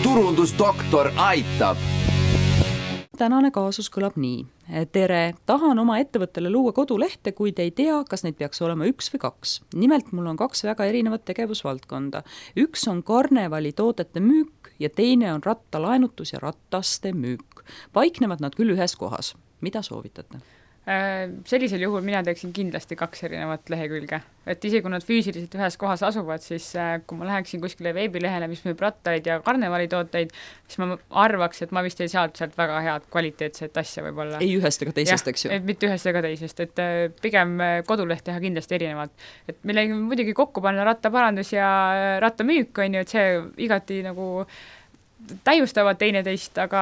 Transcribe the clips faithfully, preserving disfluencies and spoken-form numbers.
turundusdoktor aitab. Tänane kaasus kõlab nii. Tere, tahan oma ettevõttele luua kodulehte, kuid ei tea, kas neid peaks olema üks või kaks. Nimelt mul on kaks väga erinevat tegevusvaldkonda. Üks on karnevali toodete müük ja teine on rattalaenutus ja rattaste müük. Paiknevad nad küll ühes kohas. Mida soovitate? Sellisel juhul mina teeksin kindlasti kaks erinevat lehekülge. Et isegi kui nad füüsiliselt ühes kohas asuvad, siis kui ma läheksin kuskile veebilehele, mis müüb rattaid ja karnevalitooteid, siis ma arvaks, et ma vist ei saanud sealt väga head kvaliteetset asja võib-olla. Ei ühest ega teisest, eks ju? Et mitte ühest ega teisest, et pigem koduleht teha kindlasti erinevalt. Et millegi muidugi kokku panna rattaparandus ja rattamüük on ju, et see igati nagu täiustavad teineteist, aga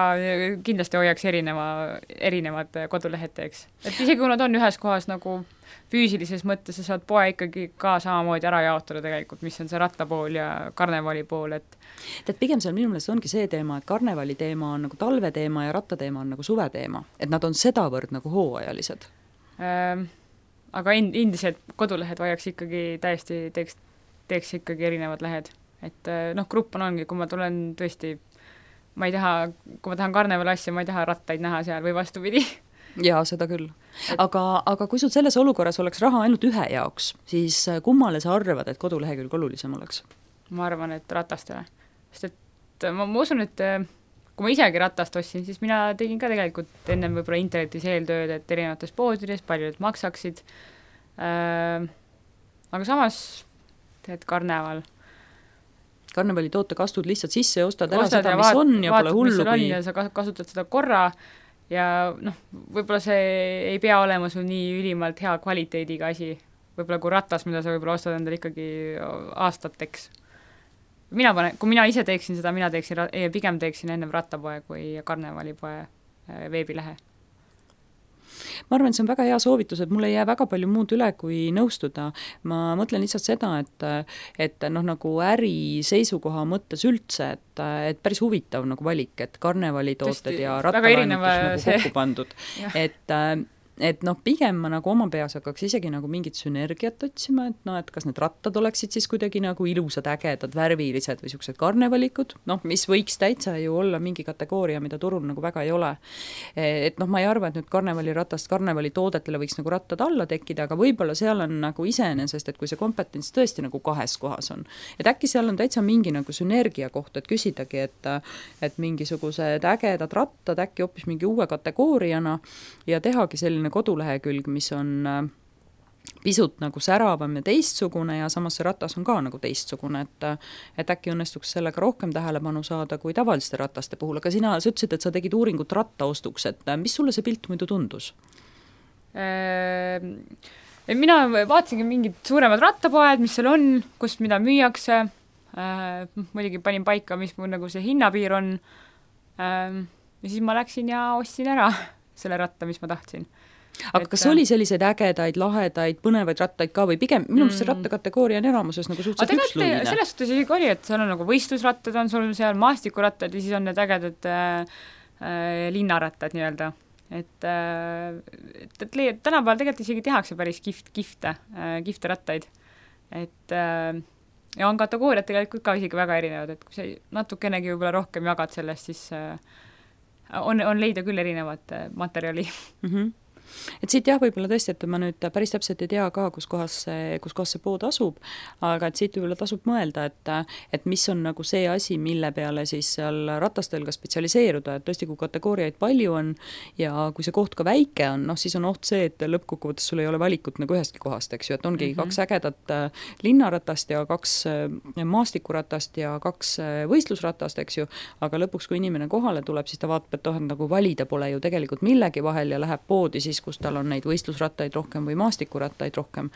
kindlasti hoiaks erineva, erinevad kodulehed teeks. Et isegi kui nad on ühes kohas nagu füüsilises mõttes, sa saad poe ikkagi ka samamoodi ära jaotada tegelikult, mis on see rattapool ja karnevali pool. Et Tead, pigem seal minu meelest ongi see teema, et karnevali teema on nagu talve teema ja rattateema on nagu suve teema. Et nad on sedavõrd nagu hooajalised. Ähm, aga endiselt kodulehed vajaks ikkagi täiesti teeks, teeks ikkagi erinevad lehed. Et noh, grupp on ongi, kui ma tulen tõesti ma ei taha, kui ma tahan karneval asja, ma ei taha rattaid näha seal või vastupidi. Jaa, seda küll. Aga, aga kui sul selles olukorras oleks raha ainult ühe jaoks, siis kummale sa arvad, et kodulehekülg olulisem oleks? Ma arvan, et ratastele. Sest et ma, ma usun, et kui ma isegi ratast ostsin, siis mina tegin ka tegelikult ennem võib-olla internetis eeltööd, et erinevates poodides, palju need maksaksid. Äh, aga samas teed karneval karnevali toote kastud lihtsalt sisse ja ostad ära ostad seda, ja mis vaat, on ja vaatad, pole hullu. Kui... ja sa kasutad seda korra ja noh, võib-olla see ei pea olema sul nii ülimalt hea kvaliteediga asi. Võib-olla kui ratas, mida sa võib-olla ostad endale ikkagi aastateks. Mina pane, kui mina ise teeksin seda, mina teeksin, pigem teeksin ennem rattapoe kui karnevalipoe veebilehe. Ma arvan, et see on väga hea soovitus, et mul ei jää väga palju muud üle kui nõustuda. Ma mõtlen lihtsalt seda, et, et noh, nagu äri seisukoha mõttes üldse, et, et päris huvitav nagu valik, et karnevalitooted ja rattalaenutus nagu see... kokku pandud. et et noh, pigem ma nagu oma peas hakkaks isegi nagu mingit sünergiat otsima, et noh, et kas need rattad oleksid siis kuidagi nagu ilusad, ägedad, värvilised või siuksed karnevalikud, noh, mis võiks täitsa ju olla mingi kategooria, mida turul nagu väga ei ole. Et noh, ma ei arva, et nüüd karnevaliratast karnevalitoodetele võiks nagu rattad alla tekkida, aga võib-olla seal on nagu iseenesest, et kui see kompetents tõesti nagu kahes kohas on. Et äkki seal on täitsa mingi nagu sünergia koht, et küsidagi, et, et mingisugused ägedad rattad äkki hoopis mingi uue kategooriana ja tehagi selline kodulehekülg, mis on pisut nagu säravam ja teistsugune ja samas see ratas on ka nagu teistsugune, et, et äkki õnnestuks sellega rohkem tähelepanu saada kui tavaliste rataste puhul. Aga sina, sa ütlesid, et sa tegid uuringut rattaostuks, et mis sulle see pilt muidu tundus? Mina vaatasingi mingid suuremad rattapoed, mis seal on, kus mida müüakse. Muidugi panin paika, mis mul nagu see hinnapiir on. Ja siis ma läksin ja ostsin ära selle ratta, mis ma tahtsin. Aga et, kas oli selliseid ägedaid, lahedaid, põnevaid rattaid ka või pigem minu meelest mm. see rattakategooria on enamuses nagu suhteliselt üksluine? Selles suhtes isegi oli, et seal on nagu võistlusrattad, on sul seal maastikurattad ja siis on need ägedad äh, linnarattad nii-öelda. Et, äh, et, et tänapäeval tegelikult isegi tehakse päris kift, kifte, äh, kifte rattaid. Et äh, ja on kategooriad tegelikult ka isegi väga erinevad, et kui sa natukenegi võib-olla rohkem jagad sellest, siis äh, on, on leida küll erinevat äh, materjali. Mhm. Et siit jah, võib-olla tõesti, et ma nüüd päris täpselt ei tea ka, kus kohas see, kus kohas see pood asub, aga et siit võib-olla tasub mõelda, et, et mis on nagu see asi, mille peale siis seal ratastel ka spetsialiseeruda, et tõesti, kui kategooriaid palju on ja kui see koht ka väike on, noh siis on oht see, et lõppkokkuvõttes sul ei ole valikut nagu ühestki kohast, eks ju, et ongi mm-hmm. kaks ägedat linnaratast ja kaks maastikuratast ja kaks võistlusratast, eks ju, aga lõpuks, kui inimene kohale tuleb, siis ta vaatab, et oh, nagu valida pole ju tegelikult millegi vahel ja läheb poodi siis, kus tal on neid võistlusrattaid rohkem või maastikurattaid rohkem,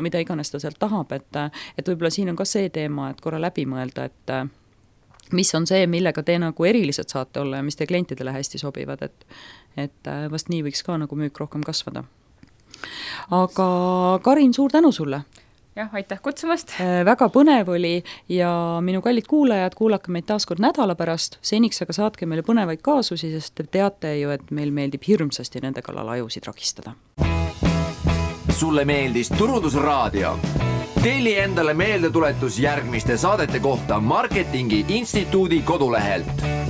mida iganes ta sealt tahab, et, et võib-olla siin on ka see teema, et korra läbi mõelda, et mis on see, millega te nagu erilised saate olla ja mis te klientidele hästi sobivad, et, et vast nii võiks ka nagu müük rohkem kasvada. Aga Karin, suur tänu sulle! Jah, aitäh kutsumast. Väga põnev oli ja minu kallid kuulajad, kuulake meid taas kord nädala pärast. Seniks aga saatke meile põnevaid kaasusi, sest te teate ju, et meil meeldib hirmsasti nende kallal ajusid rakistada. Sulle meeldis Turundusraadio? telli endale meeldetuletus järgmiste saadete kohta Marketingi Instituudi kodulehelt.